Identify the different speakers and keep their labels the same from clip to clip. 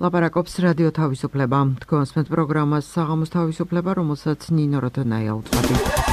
Speaker 1: ლაპარაკობს რადიო თავისუფლება. თქვენს პროგრამას საღამოს თავისუფლება, რომელსაც ნინო როდონაია უწვავი.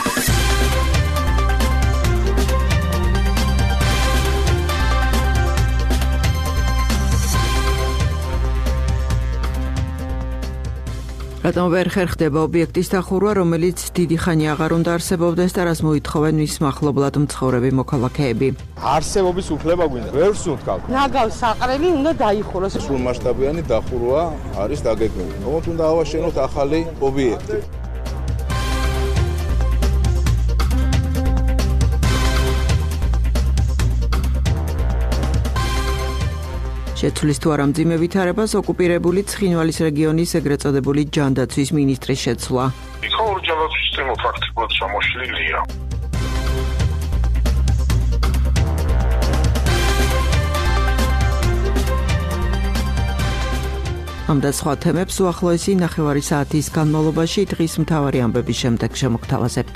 Speaker 1: რატომ ვერ ხერხდება ობიექტის დახურვა, რომელიც დიდი ხანი აღარ უნდა არსებობდეს და რას მოითხოვენ მის მახლობლად მცხოვრები მოქალაქეები.
Speaker 2: არსებობის უფლება გვინდა, ვერ ვსუნთქავთ.
Speaker 3: ნაგავს საყრელი უნდა დაიხუროს.
Speaker 4: სრულმასშტაბიანი დახურვა არის დაგეგმილი. თუმცა უნდა ავაშენოთ ახალი ობიექტი.
Speaker 1: შეცვლის თუ არა მძიმე ვითარებას ოკუპირებული ცხინვალის რეგიონის ეგრეთ წოდებული ჯანდაცვის მინისტრის შეცვლა.
Speaker 5: იქაური ჯანდაცვის სისტემა ფაქტობრივად შემოშლილია.
Speaker 1: ამ და სხვა თემებს უახლოესი ნახევარი საათის განმავლობაში დღის მთავარი ამბების შემდეგ შემოგთავაზებთ.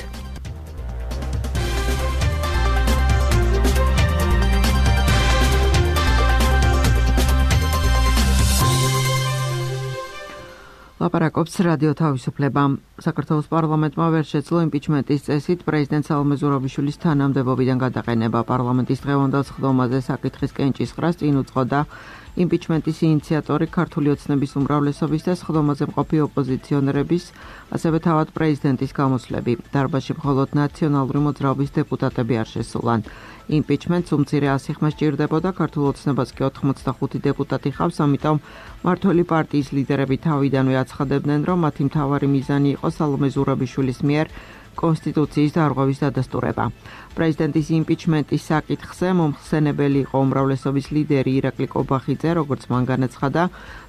Speaker 1: ლაპარაკობს რადიო თავისუფლება. საქართველოს პარლამენტმა ვერ შეძლო იმპიჩმენტის წესით პრეზიდენტ სალომე ზურაბიშვილის თანამდებობიდან გადაყენება. პარლამენტის დღევანდელ სხდომაზე საკითხის კენჭისყრას წინ უძღოდა იმპიჩმენტის ინიციატორი ქართული ოცნების უმრავლესობის და სხდომაზე მყოფი ოპოზიციონერების, ასევე თავად პრეზიდენტის გამოსვლები. დარბაზში მხოლოდ ნაციონალური მოძრაობის დეპუტატები არ შესულან. იმპიჩმენტს უმცირე 100 ხმა სჭირდებოდა, ქართულ ოცნებას კი 85 დეპუტატი ჰყავს, ამიტომ მმართველი პარტიის ლიდერები თავიდანვე აცხადებდნენ, რომ მათი მთავარი მიზანი იყო სალომე ზურაბიშვილის მიერ კონსტიტუციის დარღვევის დადასტურება. პრეზიდენტის იმპიჩმენტის საკითხზე მომხსენებელი იყო უმრავლესობის ლიდერი ირაკლი კობახიძე, როგორც მან განაცხადა,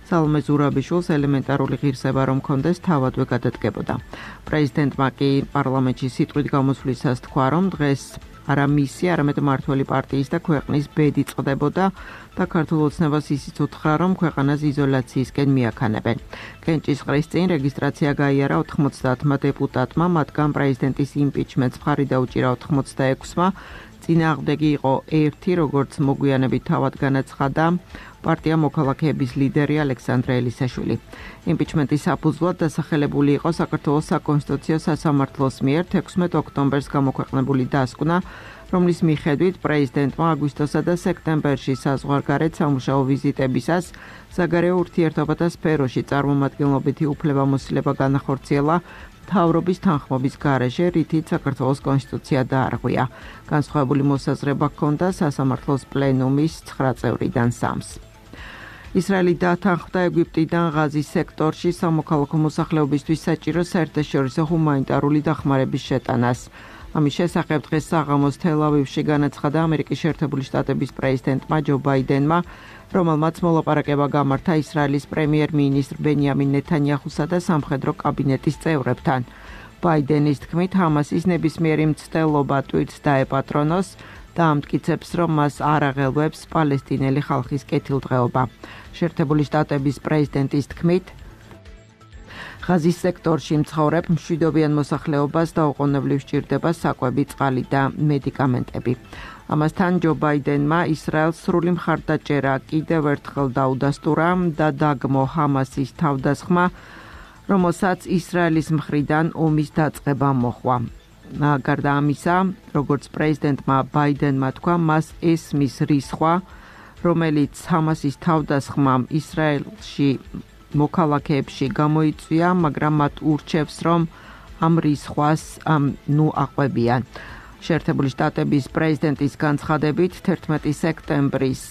Speaker 1: სალომე ზურაბიშვილს ელემენტარული ღირსება რომ ჰქონდეს, თავადვე გადადგებოდა. პრეზიდენტმა კი პარლამენტში სიტყვით გამოსვლისას თქვა, რომ დღეს არა მისი, არამედ მმართველი პარტიის და ქვეყნის ბედი წყდებოდა და ქართულ ოცნებას ისიც უთხრა, რომ ქვეყანას იზოლაციისკენ მიაქანებენ. კენჭისყრის წინ რეგისტრაცია გაიარა 90 დეპუტატმა, მათგან პრეზიდენტის იმპიჩმენტს მხარი დაუჭირა 86-მა, წინააღმდეგი იყო 1, როგორც მოგვიანებით თავად განაცხადა პარტია მოქალაქეების ლიდერი ალექსანდრე ელისაშვილი. იმპიჩმენტის საფუძვლად დასახელებული იყო საქართველოს საკონსტიტუციო სასამართლოს მიერ 16 ოქტომბერს გამოქვეყნებული დასკვნა, რომლის მიხედვით პრეზიდენტმა აგვისტოსა და სექტემბერში საზღვარგარეთ სამუშაო ვიზიტებისას საგარეო ურთიერთობათა სფეროში წარმომადგენლობითი უფლებამოსილება განახორციელა მთავრობის თანხმობის გარეშე, რითიც საქართველოს კონსტიტუცია დაარღვია. განსხვავებული მოსაზრება ჰქონდა სასამართლოს პლენუმის 9 წევრიდან 3-ს. ისრაელი დათანხმდა ეგვიპტიდან ღაზის სექტორში სამოქალაქო მოსახლეობისთვის საჭირო საერთაშორისო ჰუმანიტარული დახმარების შეტანას. ამის შესახებ დღეს საღამოს თელ-ავივში განაცხადა ამერიკის შეერთებული შტატების პრეზიდენტმა ჯო ბაიდენმა, რომელმაც მოლაპარაკება გამართა ისრაელის პრემიერ-მინისტრ ბენიამინ ნეთანიაჰუსა და სამხედრო კაბინეტის წევრებთან. ბაიდენის თქმით, ჰამასის ნებისმიერი მცდელობა ტვირთს დაეპატრონოს და ამტკიცებს, რომ მას არ აღელვებს პალესტინელი ხალხის კეთილდღეობა. შეერთებული შტატების პრეზიდენტის თქმით, ღაზის სექტორში მცხოვრებ მშვიდობიან მოსახლეობას დაუყოვნებლივ სჭირდება საკვები, წყალი და მედიკამენტები. ამასთან ჯო ბაიდენმა ისრაელს სრული მხარდაჭერა კიდევ ერთხელ დაუდასტურა და დაგმო ჰამასის თავდასხმა, რომელსაც ისრაელის მხრიდან ომის დაწყება მოჰყვა. გარდა ამისა, როგორც პრეზიდენტმა ბაიდენმა თქვა, მას ესმის რისხვა, რომელიც ჰამასის თავდასხმამ ისრაელში მოქალაქეებში გამოიწვია, მაგრამ მათ ურჩევს, რომ ამ რისხვას აყვებიან. შეერთებული შტატების პრეზიდენტის განცხადებით 11 სექტემბრის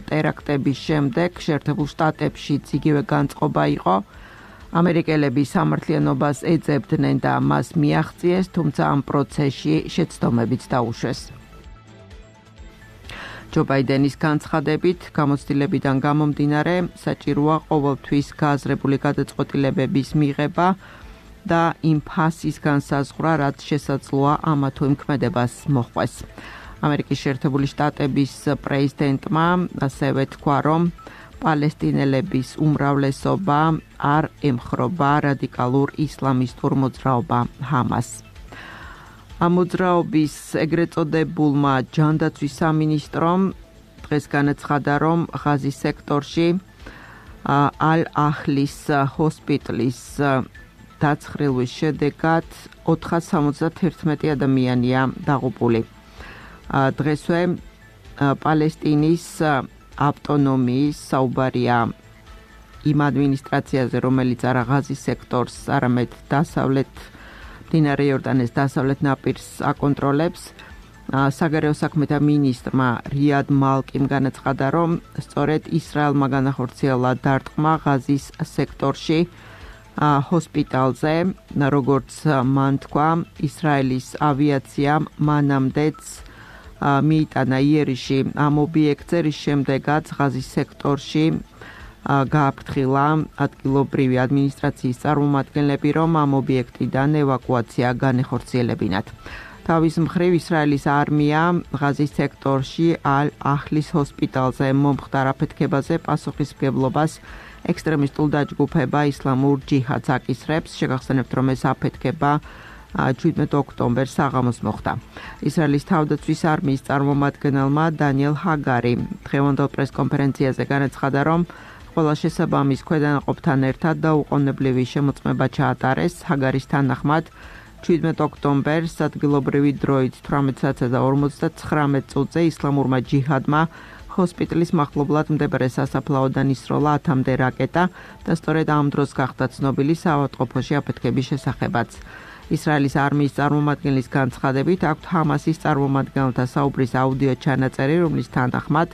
Speaker 1: ტერაქტების შემდეგ შეერთებულ შტატებშიც იგივე განწყობა იყო. ამერიკელები სამართლიანობას ეძებდნენ და მას მიაღწიეს, თუმცა ამ პროცესში შეცდომებიც დაუშვეს. ჯო ბაიდენის განცხადებით, გამოცდილებიდან გამომდინარე, საჭიროა ყოველთვის გააზრებული გადაწყვეტილებების მიღება და იმ ფასის განსაზღვრა, რაც შესაძლოა ამა თუ იმ ქმედებას მოჰყვეს. ამერიკის შეერთებული შტატების პრეზიდენტმა ასევე თქვა, რომ პალესტინელების უმრავლესობა არ ემხრობა რადიკალურ ისლამისტურ მოძრაობა ჰამასს. ამ მოძრაობის ეგრეთ წოდებულმა ჯანდაცვის სამინისტრომ დღეს განაცხადა, რომ ღაზის სექტორში ალ-ახლის ჰოსპიტალის დაცხრილვის შედეგად 471 ადამიანია დაღუპული. დღესვე პალესტინის ავტონომიის საუბარია იმ ადმინისტრაციაზე, რომელიც არა ღაზის სექტორს, არამედ დასავლეთ მდინარე იორდანეს დასავლეთ ნაპირს აკონტროლებს. საგარეო საქმეთა მინისტრმა რიად მალკიმ განაცხადა, რომ სწორედ ისრაელმა განახორციელა დარტყმა ღაზის სექტორში ჰოსპიტალზე, როგორც მან თქვა, ისრაელის ავიაციამ მანამდეც მიიტანა იერიში ამ ობიექტზე, რის შემდეგაც ღაზის სექტორში გააფრთხილა ადგილობრივი ადმინისტრაციის წარმომადგენლები, რომ ამ ობიექტიდან ევაკუაცია განეხორციელებინათ. თავის მხრივ ისრაელის არმია ღაზის სექტორში ალ-ახლის ჰოსპიტალზე მომხდარ აფეთქებაზე პასუხისმგებლობას ექსტრემისტულ დაჯგუფება ისლამურ ჯიჰადს აკისრებს. შეგახსენებთ, რომ ეს აფეთქება 17 ოქტომბერს საღამოს მოხდა. ისრაელის თავდაცვის არმიის წარმომადგენელმა დანიელ ჰაგარი დღევანდელ პრესკონფერენციაზე განაცხადა, რომ ყველა შესაბამის ქვედანაყოფთან ერთად დაუყოვნებლივი შემოწმება ჩაატარეს. ჰაგარის თანახმად 17 ოქტომბერს ადგილობრივი დროით 18:59 წუთზე ისლამურმა ჯიჰადმა ჰოსპიტალის მახლობლად მდებარე სასაფლაოდან ისროლა 10-მდე რაკეტა და სწორედ ამ დროს გახდა ცნობილი საავადმყოფოში აფეთქების შესახებაც. ისრაელის არმიის წარმომადგენლის განცხადებით აქვთ ჰამასის წარმომადგენელთა საუბრის აუდიო ჩანაწერი, რომლის თანახმად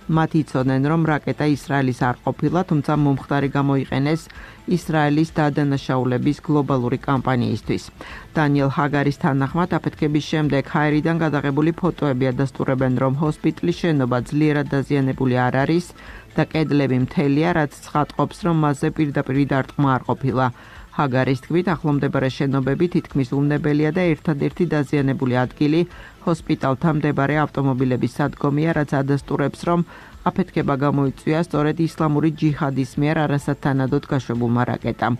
Speaker 1: მათ იცოდნენ, რომ რაკეტა ისრაელის არ ყოფილა, თუმცა მომხდარი გამოიყენეს ისრაელის დადანაშაულების გლობალური კამპანიისთვის. დანიელ ჰაგარის თანახმად აფეთქების შემდეგ ჰაერიდან გადაღებული ფოტოები ადასტურებენ, რომ ჰოსპიტალის შენობა ძლიერად დაზიანებული არ არის და კედლები მთელია, რაც ცხადყოფს, რომ მასზე პირდაპირ დარტყმა არ ყოფილა. ჰაგარის თქმით, ახლომდებარე შენობები თითქმის უნებელია და ერთადერთი დაზიანებული ადგილი ჰოსპიტალთან მდებარე ავტომობილების სადგომია, რაც ადასტურებს, რომ აფეთქება გამოიწვია სწორედ ისლამური ჯიჰადის მიერ არასათანადოდ გაშვებულმა რაკეტამ.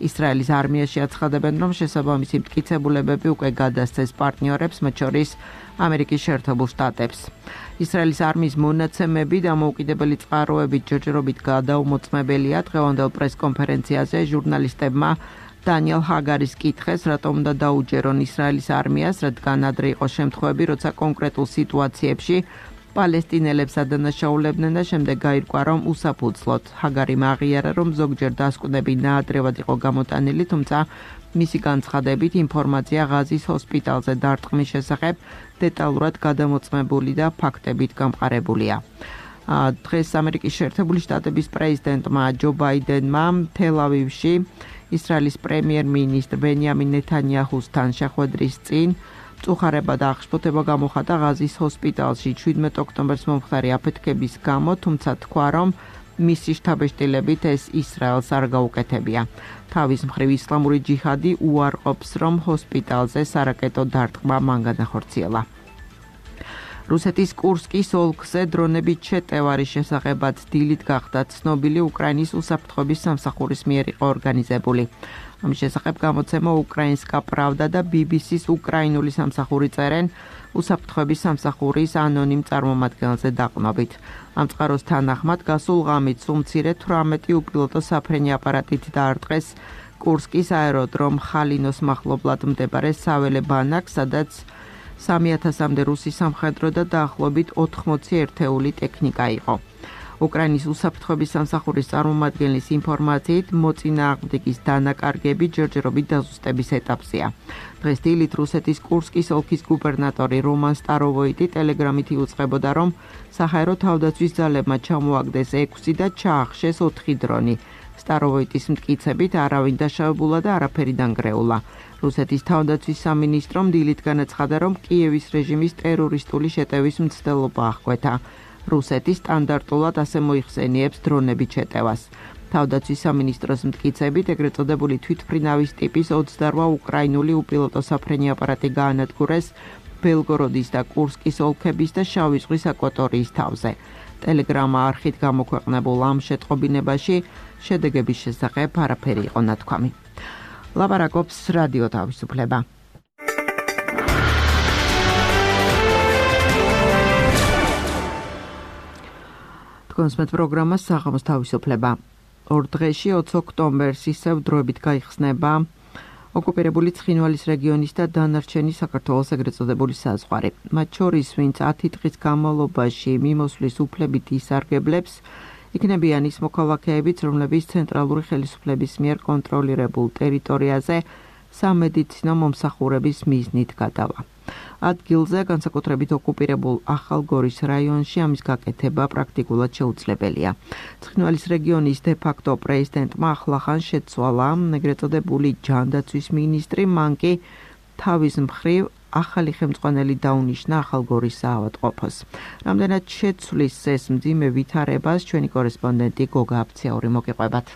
Speaker 1: ისრაელის არმიაში აცხადებენ, რომ შესაბამისი მტკიცებულებები უკვე გადასცეს პარტნიორებს, მათ შორის ამერიკის შეერთებულ შტატებს. ისრაელის არმიის მონაცემები დამოუკიდებელი წყაროებით ჯერჯერობით გადაუმოწმებელია. დღევანდელ პრესკონფერენციაზე ჟურნალისტებმა დანიელ ჰაგარის კითხეს, რატომ უნდა დაუჯერონ ისრაელის არმიას, რადგან ადრე იყო შემთხვევები, როცა კონკრეტულ სიტუაციებში პალესტინელებს ადანაშაულებდნენ და შემდეგ გაირკვა, რომ უსაფუძვლოდ. ჰაგარიმ აღიარა, რომ ზოგჯერ დასკვნები ნაადრევად იყო გამოტანილი, თუმცა მისი განცხადებით ინფორმაცია ღაზის ჰოსპიტალზე დარტყმის შესახებ დეტალურად გადამოწმებული და ფაქტებით გამყარებულია. დღეს ამერიკის შეერთებული შტატების პრეზიდენტმა ჯო ბაიდენმა თელ-ავივში ისრაელის პრემიერ-მინისტრ ბენიამინ ნეთანიაჰუსთან შეხვედრის წინ წუხარება და აღშფოთება გამოხატა ღაზის ჰოსპიტალში 17 ოქტომბერს მომხდარი აფეთქების გამო, თუმცა თქვა, რომ მისი შთაბეჭდილებით ეს ისრაელს არ გაუკეთებია. თავის მხრივ ისლამური ჯიჰადი უარყოფს, რომ ჰოსპიტალზე სარაკეტო დარტყმა მან განახორციელა. რუსეთის კურსკის ოლქზე დრონებით შეტევარის შესახებაც დილით გახდა ცნობილი. უკრაინის უსაფრთხოების სამსახურის მიერ იყო ორგანიზებული. ამის შესახებ გამოცემა უკრაინსკა პრავდა და BBC-ს უკრაინული სამსახური წერენ უსაფრთხოების სამსახურის ანონიმ წარმომადგენელზე დაყნობით. ამ წყაროს თანახმად გასულ ღამით სულ მცირე 18 უპილოტო საფრენი აპარატით დაარტყეს კურსკის აეროდრომ ხალინოს მახლობლად მდებარე საველე ბანაკს, სადაც 3000-მდე რუსი სამხედრო და დაახლოებით 80 ერთეული ტექნიკა იყო. უკრაინის უსაფრთხოების სამსახურის წარმომადგენლის ინფორმაციით მოწინააღმდეგის დანაკარგები ჯერჯერობით დაზუსტების ეტაპზეა. დღეს დილით რუსეთის კურსკის ოლქის გუბერნატორი რომან სტაროვოიტი ტელეგრამით იუწყებოდა, რომ საჰაერო თავდაცვის ძალებმა ჩამოაგდეს 6 და ჩაახშეს 4 დრონი. სტაროვოიტის მტკიცებით არავინ დაშავებულა და არაფერი დანგრეულა. რუსეთის თავდაცვის სამინისტრომ დილით განაცხადა, რომ კიევის რეჟიმის ტერორისტული შეტევის მცდელობა აღკვეთა. რუსეთი სტანდარტულად ასე მოიხსენიებს დრონებით შეტევას. თავდაცვის სამინისტროს მტკიცებით ეგრეთ წოდებული თვითმფრინავის ტიპის 28 უკრაინული უპილოტო საფრენი აპარატი გაანადგურეს ბელგოროდის და კურსკის ოლქების და შავი ზღვის აკვატორიის თავზე. ტელეგრამა არხით გამოქვეყნებულ ამ შეტყობინებაში შედეგების შესახებ არაფერი იყო ნათქვამი. ლაპარაკობს რადიო თავისუფლება. კონსმეთ პროგრამა საღამოს თავისუფლება. ორ დღეში 20 ოქტომბერს ისევ დროებით გაიხსნება ოკუპირებული ცხინვალის რეგიონის და დანარჩენი საქართველოს ეგრეთ წოდებული საზღვარი. მათ შორის, ვინც 10 დღის განმავლობაში მიმოსვლის უფლებით ისარგებლებს, იქნებიან ის მოქალაქეებიც, რომლებიც ცენტრალური ხელისუფლების მიერ კონტროლირებულ ტერიტორიაზე სამედიცინო მომსახურების მიზნით გადავა. ადგილზე, განსაკუთრებით ოკუპირებულ ახალგორის რაიონში ამის გაკეთება პრაქტიკულად შეუძლებელია. ცხინვალის რეგიონის დე-ფაქტო პრეზიდენტმა ახლახან შეცვალა ეგრეთ წოდებული ჯანდაცვის მინისტრი, მან კი თავის მხრივ ახალი ხელმძღვანელი დაუნიშნა ახალგორის საავადმყოფოს. რამდენად შეცვლის ეს მძიმე ვითარებას ჩვენი კორესპონდენტი გოგა აფციური მოგიყვებათ.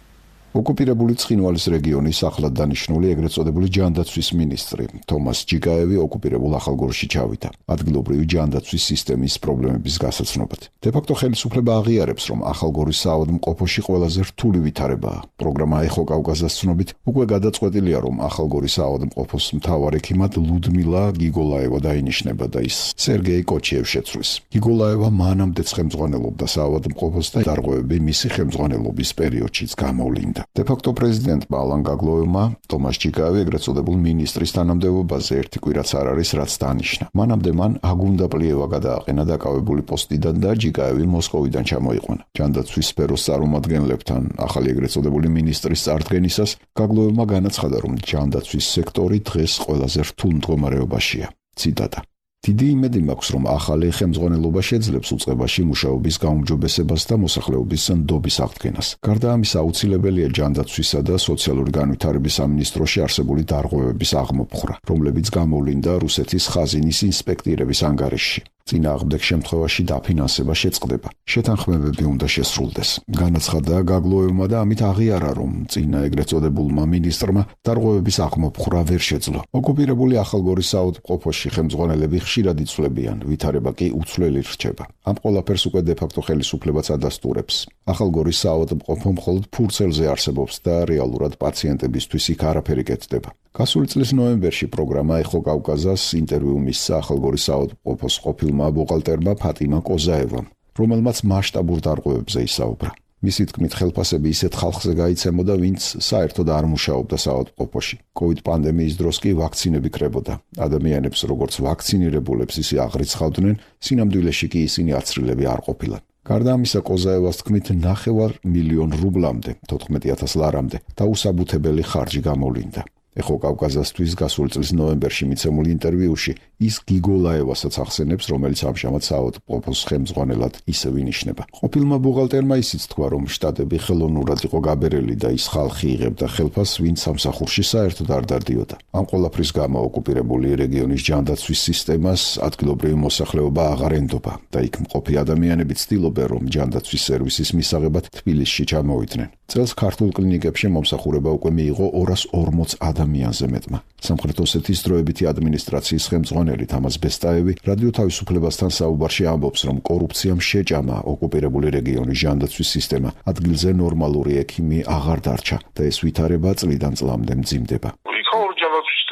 Speaker 6: ოკუპირებული ცხინვალის რეგიონის ახლად დანიშნული ეგრეთ წოდებული ჯანდაცვის მინისტრი თომას ჯიკაევი ოკუპირებულ ახალგორში ჩავიდა ადგილობრივი ჯანდაცვის სისტემის პრობლემების გასაცნობად. დე-ფაქტო ხელისუფლება აღიარებს, რომ ახალგორის საავადმყოფოში ყველაზე რთული ვითარებაა. პროგრამა ეხო კავკასიას ცნობით უკვე გადაწყვეტილია, რომ ახალგორის საავადმყოფოს მთავარ ექიმად ლუდმილა გიგოლაევა დაინიშნება და ის სერგეი კოჩიევ შეცვლის. გიგოლაევა მანამდეც ხელმძღვანელობდა საავადმყოფოს და დარღვევები მისი ხელმძღვანელობის პერიოდშიც გამოვლინდა. დე-ფაქტო პრეზიდენტმა ალან გაგლოევმა თომას ჯიკაევი ეგრეთ წოდებულ მინისტრის თანამდებობაზე ერთი კვირაც არ არის რაც დანიშნა. მანამდე მან აგუნდა პლიევა გადააყენა დაკავებული პოსტიდან და ჯიკაევი მოსკოვიდან ჩამოიყვანა. ჯანდაცვის სფეროს წარმომადგენლებთან ახალი ეგრეთ წოდებული მინისტრის წარდგენისას გაგლოევმა განაცხადა, რომ ჯანდაცვის სექტორი დღეს ყველაზე რთულ მდგომარეობაშია. ციტატა: დიდი იმედი მაქვს, რომ ახალი ხელმძღვანელობა შეძლებს უწყებაში მუშაობის გაუმჯობესებას და მოსახლეობის ნდობის აღდგენას. გარდა ამისა, აუცილებელია ჯანდაცვისა და სოციალური განვითარების სამინისტროში არსებული დარღვევების აღმოფხვრა, რომლებიც გამოვლინდა რუსეთის ხაზინის ინსპექტირების ანგარიშში. წინააღმდეგ შემთხვევაში დაფინანსება შეწყდება. შეთანხმებები უნდა შესრულდეს. განაცხადა გაგლოევმა და ამით აღიარა, რომ წინა ეგრეთ წოდებულმა მინისტრმა დარღვევების აღმოფხვრა ვერ შეძლო. ოკუპირებული ახალგორის საავადმყოფოში ხელმძღვანელები ხშირად იცვლებიან, ვითარება კი უცვლელი რჩება. ამ ყველაფერს უკვე დე-ფაქტო ხელისუფლებაც ადასტურებს. ახალგორის საავადმყოფო მხოლოდ ფურცელზე არსებობს და რეალურად პაციენტებისთვის იქ არაფერი კეთდება. გასული წლის ნოემბერში პროგრამა ეხო კავკასიას ინტერვიუ მისცა ახალგორის საავადმყოფოს ყოფილმა ბუღალტერმა ფატიმა კოზაევამ, რომელმაც მასშტაბურ დარღვევებზე ისაუბრა. მისი თქმით, ხელფასები ისეთ ხალხზე გაიცემოდა, ვინც საერთოდ არ მუშაობდა საავადმყოფოში. COVID პანდემიის დროს კი ვაქცინები კრებოდა. ადამიანებს როგორც ვაქცინირებულებს ისე აღრიცხავდნენ, სინამდვილეში კი ისინი აცრილები არ ყოფილან. გარდა ამისა, კოზაევას თქმით, 9 მილიონი რუბლამდე, 14,000 ლარამდე დაუსაბუთებელი ხარჯი გამოვლინდა. ეხო კავკასიასთვის გასული წლის ნოემბერში მიცემულ ინტერვიუში ის გიგოლაევასაც ახსენებს, რომელიც ამჟამად საავადმყოფოს ხელმძღვანელად ისევ ინიშნება. ყოფილმა ბუღალტერმა ისიც თქვა, რომ შტატები ხელოვნურად იყო გაბერელი და ის ხალხი იღებდა ხელფასს, ვინც სამსახურში საერთოდ არ დადიოდა. ამ ყველაფრის გამო ოკუპირებული რეგიონის ჯანდაცვის სისტემას ადგილობრივი მოსახლეობა აღარ ენდობა და იქ მყოფი ადამიანები ცდილობენ, რომ ჯანდაცვის სერვისის მისაღებად თბილისში ჩამოვიდნენ. წელს ქართულ კლინიკებში მომსახურება უკვე მიიღო 240 ადამიანზე მეტმა. სამხრეთ ოსეთის დროებითი ადმინისტრაციის ხელმძღვანელი თამაზ ბესტაევი რადიო თავისუფლებასთან საუბარში ამბობს, რომ კორუფციამ შეჭამა ოკუპირებული რეგიონის ჯანდაცვის სისტემა, ადგილზე ნორმალური ექიმი აღარ დარჩა და ეს ვითარება წლიდან წლამდე მძიმდება.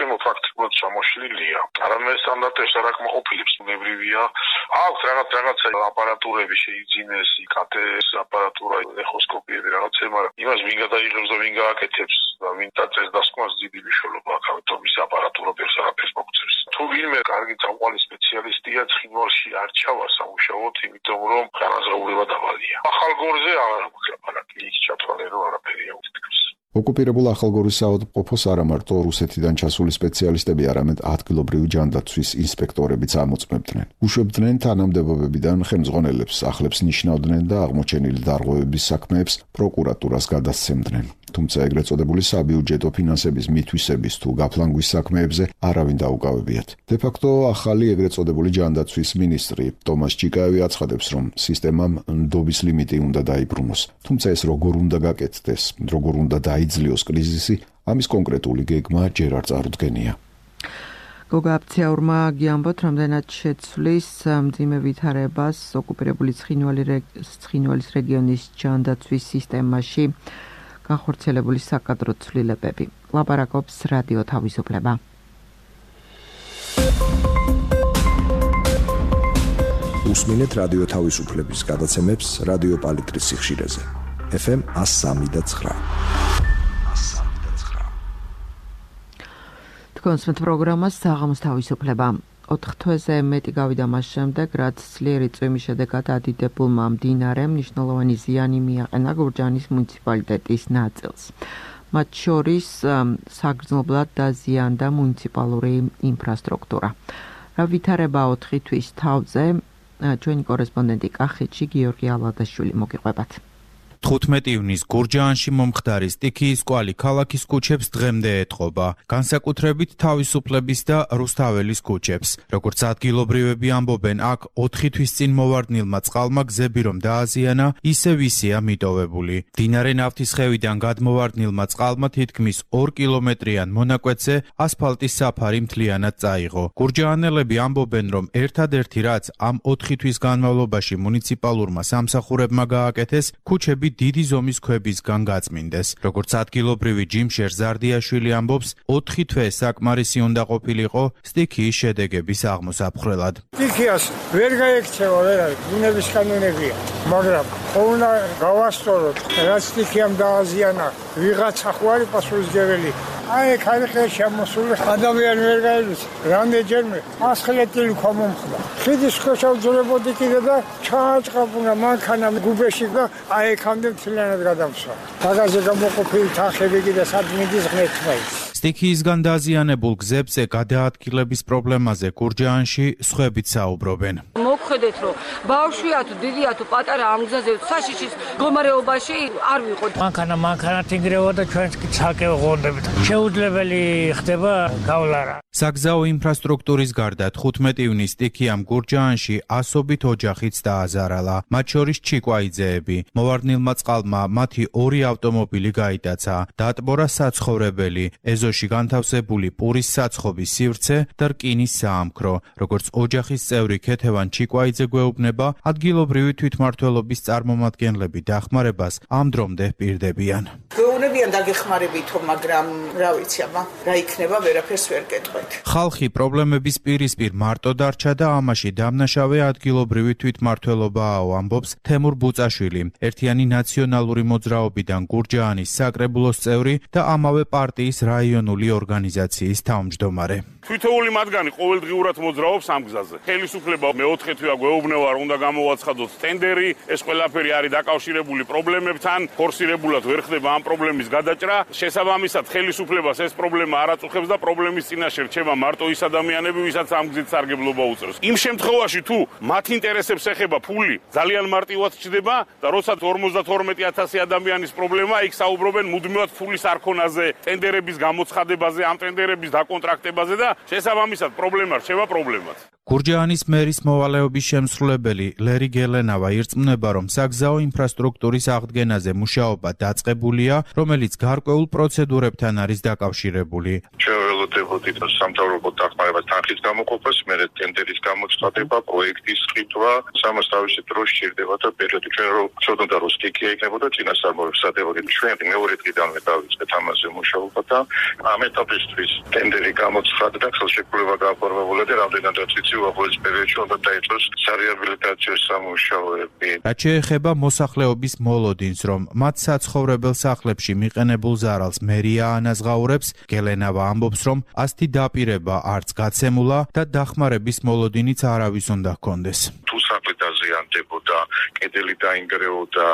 Speaker 5: სისტემა ფაქტობრივად ჩამოშლილია. არამედ სტანდარტებს არ აკმაყოფილებს, უნებრივია. აქვს რაღაცა აპარატურები შეიძინეს, იკატეს აპარატურა, ეხოსკოპიები რაღაცა, მაგრამ იმას ვინ გადაიღებს და ვინ გააკეთებს და ვინ დაწეს დასკვნას დიდი მნიშვნელობა აქვს, ამიტომ ის აპარატურა ბევრს არაფერს მოგწევს. თუ ვინმე კარგი წამყვანი სპეციალისტია, ცხინვალში არ ჩავა სამუშაოდ, იმიტომ რომ განაზღაურება დავალია. ახალგორზე აღარ აქვს ლაპარაკი, იქ ჩათვალე რომ არაფერია უთითქმის.
Speaker 6: ოკუპირებულ ახალგორის საავადმყოფოს არა მარტო რუსეთიდან ჩასული სპეციალისტები, არამედ ადგილობრივი ჯანდაცვის ინსპექტორებიც ამოწმებდნენ. უშვებდნენ თანამდებობებიდან ხელმძღვანელებს, სახლებს ნიშნავდნენ და აღმოჩენილი დარღვევების საქმეებს პროკურატურას გადასცემდნენ. თუმცა ეგრეთ წოდებული საბიუჯეტო ფინანსების მითვისების თუ გაფლანგვის საქმეებზე არავინ დაუკავებიათ. დე-ფაქტო ახალი ეგრეთ წოდებული ჯანდაცვის მინისტრი თომას ჯიკაევი აცხადებს, რომ სისტემამ ნდობის ლიმიტი უნდა დაიბრუნოს. თუმცა ეს როგორ უნდა გაკეთდეს, როგორ უნდა დაიძლიოს კრიზისი, ამის კონკრეტული გეგმა ჯერ არ წარუდგენია.
Speaker 1: გოგა აფციაურმა გიამბოთ, რამდენად შეცვლის მძიმე ვითარებას ოკუპირებული ცხინვალის რეგიონის ჯანდაცვის სისტემაში განხორციელებული საკადრო ცვლილებები. ლაპარაკობს რადიო თავისუფლება.
Speaker 7: უსმინეთ რადიო თავისუფლების გადაცემებს რადიო პალიტრის სიხშირეზე. FM 103.9.
Speaker 1: თქვენს პროგრამას საღამოს თავისუფლება 4 თვეზე მეტი გავიდა მას შემდეგ, რაც ძლიერი წვიმის შედეგად ადიდებულმა მდინარემ მნიშვნელოვანი ზიანი მიაყენა გურჯაანის მუნიციპალიტეტის ნაწილს. მათ შორის საგრძნობლად დაზიანდა მუნიციპალური ინფრასტრუქტურა. რა ვითარება 4 თვის თავზე, ჩვენი კორესპონდენტი კახეთში გიორგი ალადაშვილი მოგიყვებათ.
Speaker 8: 15 ივნის გურჯაანში მომხდარი სტიქიის კვალი ქალაქის ქუჩებს დღემდე ეტყობა, განსაკუთრებით თავისუფლების და რუსთაველის ქუჩებს. როგორც ადგილობრივები ამბობენ, აქ 4 თვის წინ მოვარდნილმა წყალმა გზები რომ დააზიანა, ისევ ისეა მიტოვებული. მდინარე ნავთისხევიდან გადმოვარდნილმა წყალმა თითქმის 2 კილომეტრიან მონაკვეთზე ასფალტის საფარი მთლიანად წაიღო. გურჯაანელები ამბობენ, რომ ერთადერთი რაც ამ 4 თვის განმავლობაში მუნიციპალურმა სამსახურებმა გააკეთეს, ქუჩები დიდი ზომის ქვებისგან გაწმინდეს. როგორც ადგილობრივი ჯიმშერ ზარდიაშვილი ამბობს, 4 თვე საკმარისი უნდა ყოფილიყო სტიქიის შედეგების აღმოსაფხრელად.
Speaker 9: სტიქიას ვერ გაექცევა, ბუნების კანონებია, მაგრამ უნდა გავასწოროთ, რაც სტიქიამ დააზიანა, ვიღაცა ხო არის პასუხისმგებელი. აი, ხალხი შემოსული ადამიანი ვერ გაელვის, რამდენჯერმე ასხლეტილი ქვა მომხდა. ხიდის ქვეშ ავძლებოდი კიდე და ჩააჭყაპუნა მანქანა გუბეში და აი ეკამდე მთლიანად გადამსვა. მაგაზე გამოყოფილი თახები კიდე სადმიდის ღმერთმა ის.
Speaker 8: სტიქიისგან დაზიანებულ გზებზე გადაადგილების პრობლემაზე გურჯაანში სხვებით საუბრობენ.
Speaker 3: მოგხედეთ, რომ ბავშვია თუ დიდია თუ პატარა ამ გზაზე საშიშის მდგომარეობაში არ ვიყოთ.
Speaker 9: მანქანა თინგრევა და ჩვენც კი ცალკე ვღონდებით. შეუძლებელი ხდება გავლარა.
Speaker 8: საგზაო ინფრასტრუქტურის გარდა 15 ივნის სტიქიამ გურჯაანში ასობით ოჯახიც დააზარალა, მათ შორის ჩიკვაიძეები. მოვარდნილმა წყალმა მათი 2 ავტომობილი გაიტაცა, დაატბორა საცხოვრებელი, ეზოში განთავსებული პურის საცხობის სივრცე და რკინის საამქრო. როგორც ოჯახის წევრი ქეთევან ჩიკვაიძე გვეუბნება, ადგილობრივი თვითმმართველობის წარმომადგენლები დახმარებას ამ დრომდე პირდებიან.
Speaker 10: გვეუბნებიან დაგეხმარებითო, მაგრამ რა ვიცი, რა იქნება, ვერაფერს ვერ გეტყვით.
Speaker 8: ხალხი პრობლემების პირისპირ მარტო დარჩა და ამაში დამნაშავე ადგილობრივი თვითმმართველობაა, ამბობს თემურ ბუწაშვილი, ერთიანი ნაციონალური მოძრაობიდან გურჯაანის საკრებულოს წევრი და ამავე პარტიის რაიონული ორგანიზაციის თავმჯდომარე.
Speaker 11: თითოეული მათგანი ყოველდღიურად მოძრაობს ამ გზაზე. ხელისუფლება მე-4 თვეა გვეუბნება, რომ უნდა გამოვაცხადოთ ტენდერი, ეს ყველაფერი არის დაკავშირებული პრობლემებთან, ფორსირებულად ვერ ხდება ამ პრობლემის გადაჭრა. შესაბამისად, ხელისუფლებას ეს პრობლემა არ აწუხებს და პრობლემის წინაშე რჩება მარტო ის ადამიანები, ვისაც ამ გზით სარგებლობა უწევს. იმ შემთხვევაში, თუ მათ ინტერესებს ეხება ფული, ძალიან მარტივად ჩდება და როცა 52,000 ადამიანის პრობლემა, იქ საუბრობენ მუდმივად ფულის არქონაზე, ტენდერების გამოცხადებაზე, ამ ტენდერების დაკონტრაქტებაზე და შესაბამისად პრობლემა რჩება პრობლემად.
Speaker 8: გურჯაანის მერის მოვალეობის შემსრულებელი ლერი გელენავა ირწმუნება, რომ საგზაო ინფრასტრუქტურის აღდგენაზე მუშაობა დაწყებულია, რომელიც გარკვეულ პროცედურებთან არის დაკავშირებული.
Speaker 5: ველოდებოდით სამთავრობო დახმარებას თანხის გამოყოფას, მერე ტენდერის გამოცხადება, პროექტის ყიდვა, სამას თავისი დრო სჭირდება და პერიოდი ჩვენ რომ ცოდნოდა რომ სტიქია იქნებოდა წინასწარმოებს სადებოდი. ჩვენ მეორე დღიდანვე დავიწყეთ ამაზე მუშაობა და ამ ეტაპისთვის ტენდერი გამოცხადდა და ხელშეკრულება გააფორმებულა და რამდენადაც ვიცი უახლოეს პერიოდში უნდა დაიწყოს სარეაბილიტაციო სამუშაოები.
Speaker 8: რაც შეეხება მოსახლეობის მოლოდინს, რომ მათ საცხოვრებელ სახლებში მიყენებულ ზარალს მერია ანაზღაურებს, გელენავა ამბობს, რომ ასეთი დაპირება არც გაცემულა და დახმარების მოლოდინიც არავის უნდა ჰქონდეს.
Speaker 5: თუ სახლი დაზიანდებოდა, კედელი დაინგრეოდა,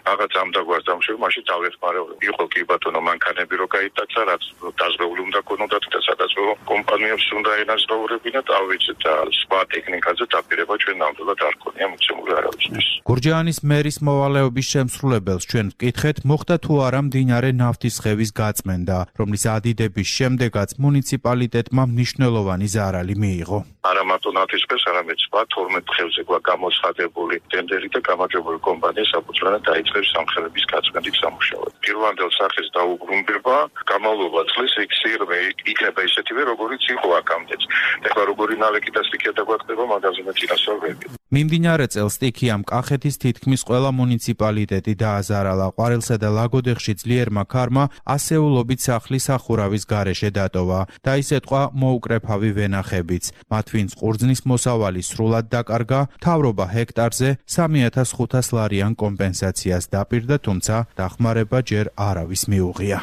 Speaker 5: რაღაც ამ დაგვარს დამშვები, მაშინ დავეხმარებოდი. იყო კი ბატონო მანქანები რო გაიტაცა, რაც დაზღვეული უნდა ქონოდათ და სადაზღვევო კომპანიებს უნდა ენაზღაურებინათ, ავიცეთ და სხვა ტექნიკაზე დაპირება ჩვენ ნამდვილად არ ქონია მოცემული არავისთვის.
Speaker 8: გურჯაანის მერის მოვალეობის შემსრულებელს ჩვენ ვკითხეთ, მოხდა თუ არა მდინარე ნავთისხევის გაწმენდა, რომლის ადიდების შემდეგაც მუნიციპალიტეტმა მნიშვნელოვანი ზარალი მიიღო.
Speaker 5: არა მარტო ნავთისხევს, არამედ სხვა 12 ხევზე გამოცხადებული ტენდერი და გამარჯვებული კომპანია საფუძვლად დაიწყებს სამხელების გაწმენდის სამუშაოებს. პირვანდელ სახეს დაუბრუნდება, გამავლობა წლის ექსირმე იქნება ისეთივე, როგორიც იყო აქამდეც. ეხლა როგორი ნალექი და სტიქია დაგვაწყდება, მაგაზე მეცინასწორები.
Speaker 8: მიმდინარე წელს სტიქიამ კახეთის თითქმის ყველა მუნიციპალიტეტი დააზარალა. ყვარელსა და ლაგოდეხში ძლიერმა ქარმა ასეულობით სახლი სახურავის გარეშე დატოვა და ის ეთყვა მოუკრეფავი ვენახებიც. მათ ვინც ყურძნის მოსავალი სრულად დაკარგა, მთავრობა ჰექტარზე 3500 ლარიან კომპენსაციას დაპირდა, თუმცა დახმარება ჯერ არავის მიუღია.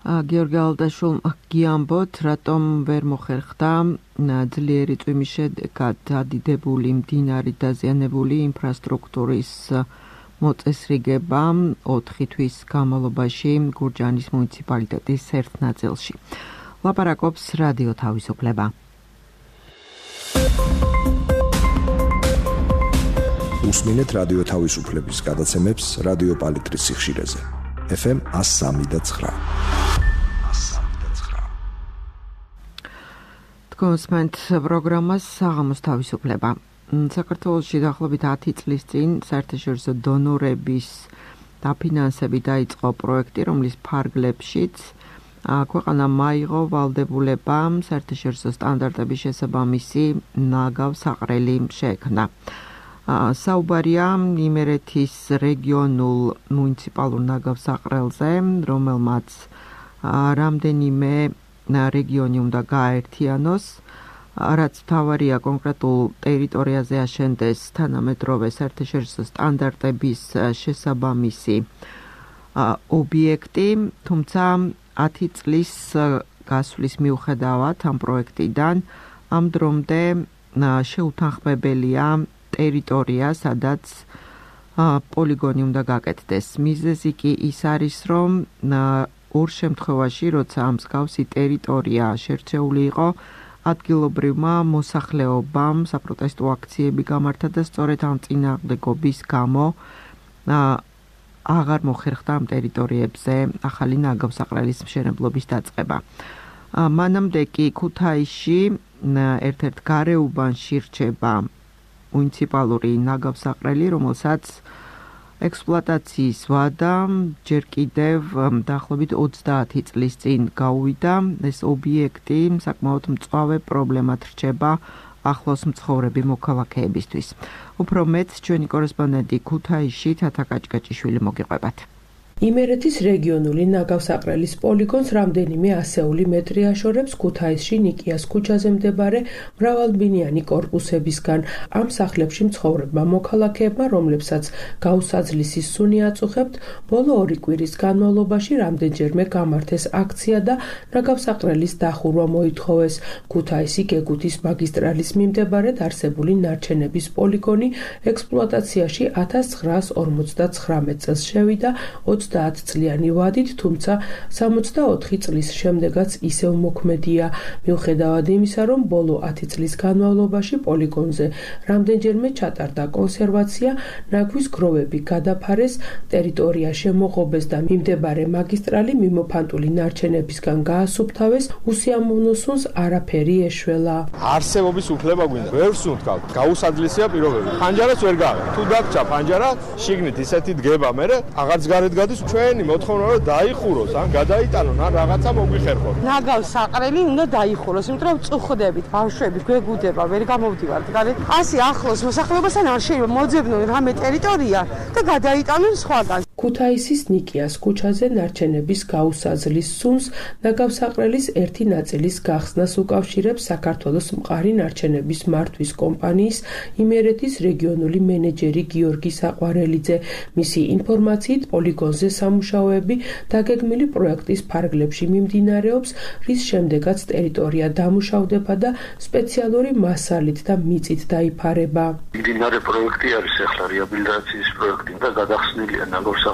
Speaker 1: გიორგი ალდაშვილმა გიამბოთ, რატომ ვერ მოხერხდა ძლიერი წვიმის შედეგად დადიდებული მდინარით დაზიანებული ინფრასტრუქტურის მოწესრიგება 4 თვის განმავლობაში გურჯაანის მუნიციპალიტეტის ერთ ნაწილში. ლაპარაკობს რადიო თავისუფლება.
Speaker 7: უსმინეთ რადიო თავისუფლების გადაცემებს რადიო პალიტრის სიხშირეზე. FM 103.9.
Speaker 1: კონსმენტ პროგრამას საღამოს თავისუფლება. საქართველოში დაახლოებით 10 წლის წინ საერთაშორისო დონორების დაფინანსებით დაიწყო პროექტი, რომლის ფარგლებშიც ქვეყანამ აიღო ვალდებულება საერთაშორისო სტანდარტების შესაბამისი ნაგავსაყრელი შეექმნა. საუბარია იმერეთის რეგიონულ მუნიციპალურ ნაგავსაყრელზე, რომელმაც რამდენიმე რეგიონი უნდა გააერთიანოს, რაც მთავარია კონკრეტულ ტერიტორიაზე აშენდეს თანამედროვე საერთაშორისო სტანდარტების შესაბამისი ობიექტი, თუმცა 10 წლის გასვლის მიუხედავად ამ პროექტიდან ამ დრომდე შეუთანხმებელია ტერიტორია, სადაც პოლიგონი უნდა გაკეთდეს. მიზეზი კი ის არის, რომ ორ შემთხვევაში, როცა ამ მსგავსი ტერიტორია შერჩეული იყო, ადგილობრივმა მოსახლეობამ საპროტესტო აქციები გამართა და სწორედ ამ წინააღმდეგობის გამო აღარ მოხერხდა ამ ტერიტორიებზე ახალი ნაგავსაყრელის მშენებლობის დაწყება. მანამდე კი ქუთაისში ერთ-ერთ გარეუბანში რჩება მუნიციპალური ნაგავსაყრელი, რომელსაც ექსპლუატაციის ვადა ჯერ კიდევ დაახლოებით 30 წლის წინ გაუვიდა. ეს ობიექტი საკმაოდ მწვავე პრობლემად რჩება ახლოს მცხოვრები მოქალაქეებისთვის. უფრო მეტ ჩვენი კორესპონდენტი ქუთაისში თათა კაჭკაჭიშვილი მოგიყვებათ.
Speaker 12: იმერეთის რეგიონული ნაგავსაყრელის პოლიგონს რამდენიმე ასეული მეტრი აშორებს ქუთაისში ნიკიას ქუჩაზე მდებარე მრავალბინიანი კორპუსებისგან. ამ სახლებში მცხოვრებმა მოქალაქეებმა, რომლებსაც გაუსაძლისი სუნი აწუხებთ, ბოლო 2 კვირის განმავლობაში რამდენჯერმე გამართეს აქცია და ნაგავსაყრელის დახურვა მოითხოვეს. ქუთაისი გეგუთის მაგისტრალის მიმდებარედ არსებული ნარჩენების პოლიგონი ექსპლუატაციაში 1959 წელს შევიდა 30 წლიანი ვადით, თუმცა 64 წლის შემდეგაც ისევ მოქმედია. მიუხედავად იმისა, რომ ბოლო 10 წლის განმავლობაში პოლიგონზე რამდენჯერმე ჩატარდა კონსერვაცია, ნაგვის გროვები გადაფარეს, ტერიტორია შემოღობეს და მიმდებარე მაგისტრალი მიმოფანტული ნარჩენებისგან გაასუფთავეს, უსიამოვნო სუნს არაფერი ეშველა.
Speaker 2: არსებობის უფლება გვინდა, ვერ სუნთქავთ, გაუსაძლისია პირობები. ფანჯარას ვერ გააღებ. თუ დაგჭა ფანჯარა, შიგნით ისეთი დგება, მე აღარც გარეთ გადის. ჩვენი მოთხოვნა რომ დაიხუროს, ან გადაიტანონ, ან რაღაცა მოგვიხერხონ.
Speaker 13: ნაგავსაყრელი უნდა დაიხუროს, იმიტომ რომ წუხდებით, ბავშვები გვეგუდება, ვერ გამოვდივართ გარეთ. ასე ახლოს მოსახლეობასთან არ შეიძლება მოძებნონ რამე ტერიტორია და გადაიტანონ სხვაგან.
Speaker 12: ქუთაისის ნიკიას ქუჩაზე ნარჩენების გაუსაძლის სუნს ნაგავსაყრელის ერთი ნაწილის გახსნას უკავშირებს საქართველოს მყარი ნარჩენების მართვის კომპანიის იმერეთის რეგიონული მენეჯერი გიორგი საყვარელიძე. მისი ინფორმაციით პოლიგონზე სამუშაოები დაგეგმილი პროექტის ფარგლებში მიმდინარეობს, რის შემდეგაც ტერიტორია დამუშავდება და სპეციალური მასალით და მიწით დაიფარება.
Speaker 5: მიმდინარე პროექტი არის ახლა რეაბილიტაციის პროექტი და გადახსნილია ნაგავსაყრელი.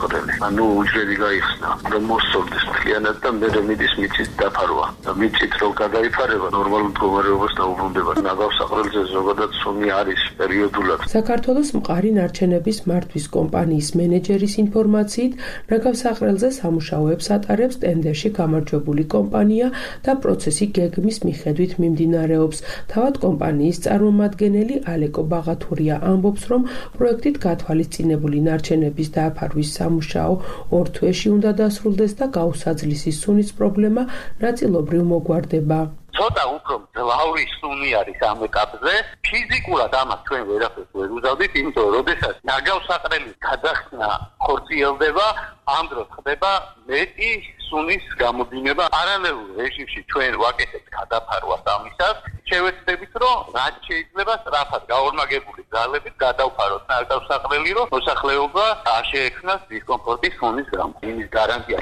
Speaker 5: ანუ უჯრედი გაიხსნა, რომ მოსწორდეს მთლიანად და მე მიდის მიწით დაფარვა. და მიწით რო გადაიფარება, ნორმალურ მდგომარეობას დაუბრუნდება. ნაგავსაყრელზე ზოგადად სუნი არის პერიოდულად.
Speaker 12: საქართველოს მყარი ნარჩენების მართვის კომპანიის მენეჯერის ინფორმაციით, ნაგავსაყრელზე სამუშაოებს ატარებს ტენდერში გამარჯვებული კომპანია და პროცესი გეგმის მიხედვით მიმდინარეობს. თავად კომპანიის წარმომადგენელი ალეკო ბაღათურია ამბობს, რომ პროექტით გათვალისწინებული ნარჩენების დააფარვის სამუშაო 2 თვეში უნდა დასრულდეს და გაუსაძლისი სუნის პრობლემა ნაწილობრივ მოგვარდება.
Speaker 14: ცოტა უფრო მძლავრი სუნი არის ამ ეტაპზე. ფიზიკურად ამას ჩვენ ვერაფერს ვერ უზავდით, იმიტომ რომ როდესაც ნაგავსაყრელის გადახსნა ხორციელდება, ამ დროს ხდება მეტი სუნის გამოდინება. პარალელურ რეჟიმში ჩვენ ვაკეთებთ გადაფარვას ამისას. შევეცდებით, რომ რაც შეიძლება სწრაფად გაორმაგებული ძალებით გადავფაროთ ნაგავსაყრელი, რომ მოსახლეობა არ შეექმნას დისკომფორტის სუნის გამო. იმის გარანტია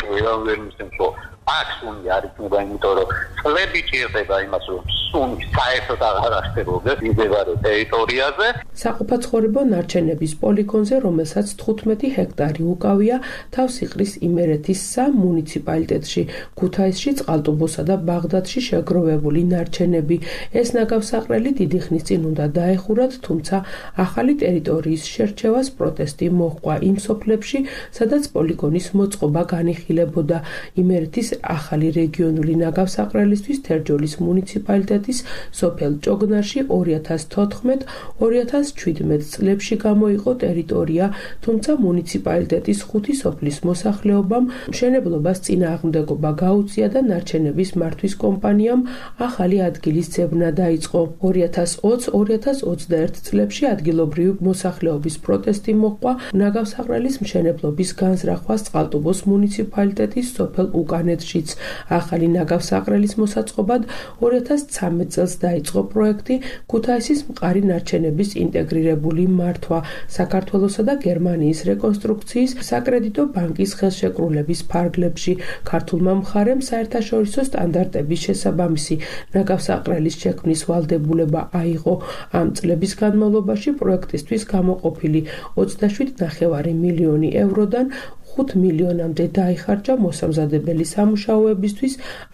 Speaker 14: ვერ მისცემს, რომ აქ სუნი არ იქნება, იმიტომ რომ წლები ჭირდება იმას, რომ სუნი საერთოდ აღარ არსებობდეს მდებარე ტერიტორიაზე.
Speaker 12: საყოფაცხოვრებო ნარჩენების პოლიგონზე, რომელსაც 15 ჰექტარი უკავია, თავს იყრის იმერეთის 3 მუნიციპალიტეტში, ქუთაისში, წყალტუბოსა და ბაღდადში შეგროვებული ნარჩენები. ეს ნაგავსაყრელი დიდი ხნის წინ უნდა დაეხურათ, თუმცა ახალი ტერიტორიის შერჩევას პროტესტი მოჰყვა იმ სოფლებში, სადაც პოლიგონის მოწყობა განიხილებოდა. იმერეთის ახალი რეგიონული ნაგავსაყრელისთვის თერჯოლის მუნიციპალიტეტის სოფელ ჭოგნარში 2014-2017 წლებში გამოიყო ტერიტორია, თუმცა მუნიციპალიტეტის 5 სოფლის მოსახლეობამ მშენებლობას წინააღმდეგობა გაუწია და ნარჩენების მართვის კომპანიამ ახალი ადგილის ძებნა დაიწყო. 2020-2021 წლებში ადგილობრივი მოსახლეობის პროტესტი მოჰყვა ნაგავსაყრელის მშენებლობის განზრახვას წყალტუბოს მუნიციპალიტეტის სოფელ უკანეთშიც. ახალი ნაგავსაყრელის მოსაწყობად 2013 წელს დაიწყო პროექტი ქუთაისის მყარი ნარჩენების ინტეგრირებული მართვა, საქართველოსა და გერმანიის რეკონსტრუქციის საკრედიტო ბანკის ხელშეკრულების ფარგლებში. ქართულმა მხარემ საერთაშორისო სტანდარტების შესაბამისი ნაგავსაყრელის შექმნის ვალდებულება აიღო. ამ წლების განმავლობაში პროექტისთვის გამოყოფილი 27,5 მილიონი ევროდან 5 მილიონამდე დაიხარჯა მოსამზადებელი სამუშაოებისთვის.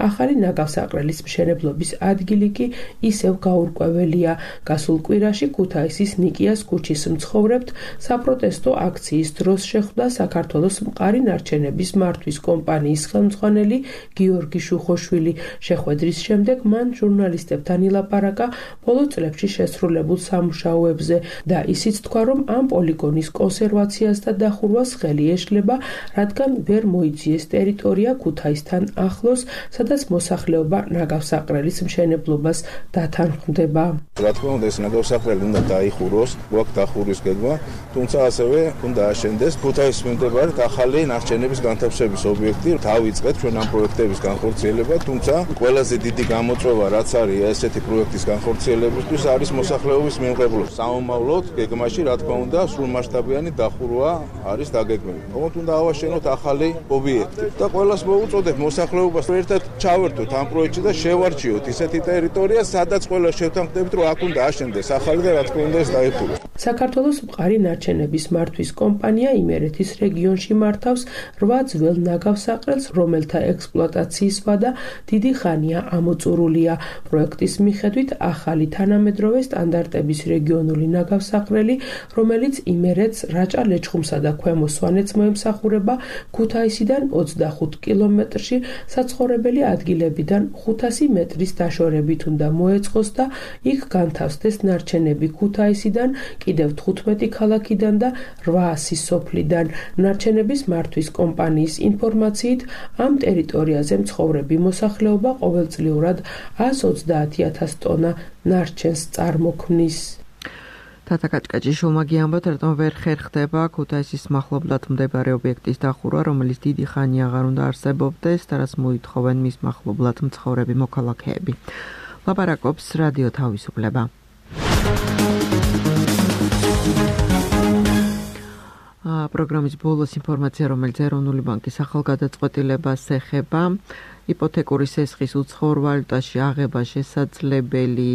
Speaker 12: ახალი ნაგავსაყრელის მშენებლობის ადგილი კი ისევ გაურკვეველია. გასულ კვირაში ქუთაისის ნიკიას ქუჩის მცხოვრებთ საპროტესტო აქციის დროს შეხვდა საქართველოს მყარი ნარჩენების მართვის კომპანიის ხელმძღვანელი გიორგი შუხოშვილი. შეხვედრის შემდეგ მან ჟურნალისტებთან ილაპარაკა ბოლო წლებში შესრულებულ სამუშაოებზე და ისიც თქვა, რომ ამ პოლიგონის კონსერვაციას და დახურვას ხელი ეშლება, რადგან ვერ მოიძიეს ტერიტორია ქუთაისთან ახლოს, სადაც მოსახლეობა ნაგავსაყრელის მშენებლობას დათანხმდება.
Speaker 4: რა თქმა უნდა, ეს ნაგავსაყრელი უნდა დაიხუროს, გვაქვს დახურვის გეგმა, თუმცა ასევე უნდა აშენდეს ქუთაისში მდებარე ახალი ნარჩენების განთავსების ობიექტი. დავიწყეთ ჩვენ ამ პროექტების განხორციელება, თუმცა ყველაზე დიდი გამოწვევა, რაც არის ესეთი პროექტის განხორციელებისთვის, არის მოსახლეობის მიღებულობა. საომავლოდ გეგმაში, რა თქმა უნდა, სრულმასშტაბიანი დახურვა არის დაგეგმილი. თუმცა უნდა ავაშენოთ ახალი ობიექტი და ყველას მოუწოდებ მოსახლეობას ერთად ჩავერთოთ ამ პროექტში და შევარჩიოთ ისეთი ტერიტორია, სადაც ყველა შევთანხმდებით, რომ აქ უნდა აშენდეს ახალი და რა თქმა უნდა ეს დაიხუროს.
Speaker 12: საქართველოს მყარი ნარჩენების მართვის კომპანია იმერეთის რეგიონში მართავს 8 ძველ ნაგავსაყრელს, რომელთა ექსპლუატაციის ვადა დიდი ხანია ამოწურულია. პროექტის მიხედვით ახალი თანამედროვე სტანდარტების რეგიონული ნაგავსაყრელი, რომელიც იმერეთს, რაჭა-ლეჩხუმსა და ქვემო სვანეთს მოემსახურება, ქუთაისიდან 25 კილომეტრში საცხოვრებელი ადგილებიდან 500 მეტრის დაშორებით უნდა მოეწყოს და იქ განთავსდეს ნარჩენები ქუთაისიდან, კიდევ 15 ქალაქიდან და 800 სოფლიდან. ნარჩენების მართვის კომპანიის ინფორმაციით, ამ ტერიტორიაზე მცხოვრები მოსახლეობა ყოველწლიურად 130,000 ტონა ნარჩენს წარმოქმნის.
Speaker 1: თათა კაჭკაჭი შულმაგიანბათ, რატომ ვერ ხერხდება ქუთაისის მახლობლად მდებარე ობიექტის დახურვა, რომელიც დიდი ხანი აღარ უნდა არსებობდეს და რაც მოითხოვენ მის მახლობლად მცხოვრები მოქალაქეები. ლაპარაკობს რადიო თავისუფლება. პროგრამის ბოლოს ინფორმაცია, რომელიც ეროვნული ბანკის ახალგადაწყვეტილებას ეხება, იპოთეკური სესხის უცხოურ ვალუტაში აღება შესაძლებელი,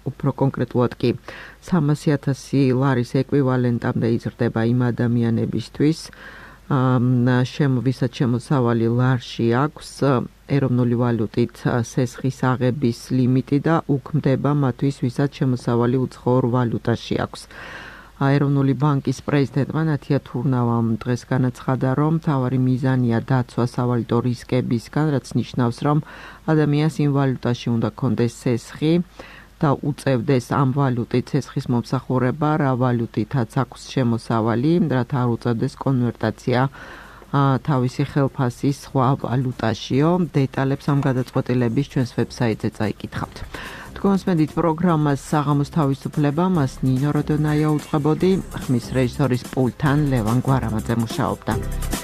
Speaker 1: უფრო კონკრეტულად კი 300,000 ლარის ეკვივალენტამდე იზრდება იმ ადამიანებისთვის, ვისაც შემოსავალი ლარში აქვს ეროვნული ვალუტით სესხის აღების ლიმიტი და უქმდება მათთვის, ვისაც შემოსავალი უცხოურ ვალუტაში აქვს. ეროვნული ბანკის პრეზიდენტმა ნათია თურნავამ დღეს განაცხადა, რომ მთავარი მიზანია დაცვა სავალუტო რისკებისგან, რაც ნიშნავს, რომ ადამიანს იმ ვალუტაში უნდა ქონდეს სესხი და უწევდეს ამ ვალუტით სესხის მომსახურება, რა ვალუტითაც აქვს შემოსავალი, რათა არ უწევდეს კონვერტაცია თავისი ხელფასის სხვა ვალუტაშიო. დეტალებს ამ გადაწყვეტილების ჩვენს ვებსაიტზე წაიკითხავთ. თქვენსმენდით პროგრამას საღამოს თავისუფლება, მას ნინო როდონაია უწყებოდი, ხმის რეჟისორის პულტთან ლევან გვარამაძე მუშაობდა.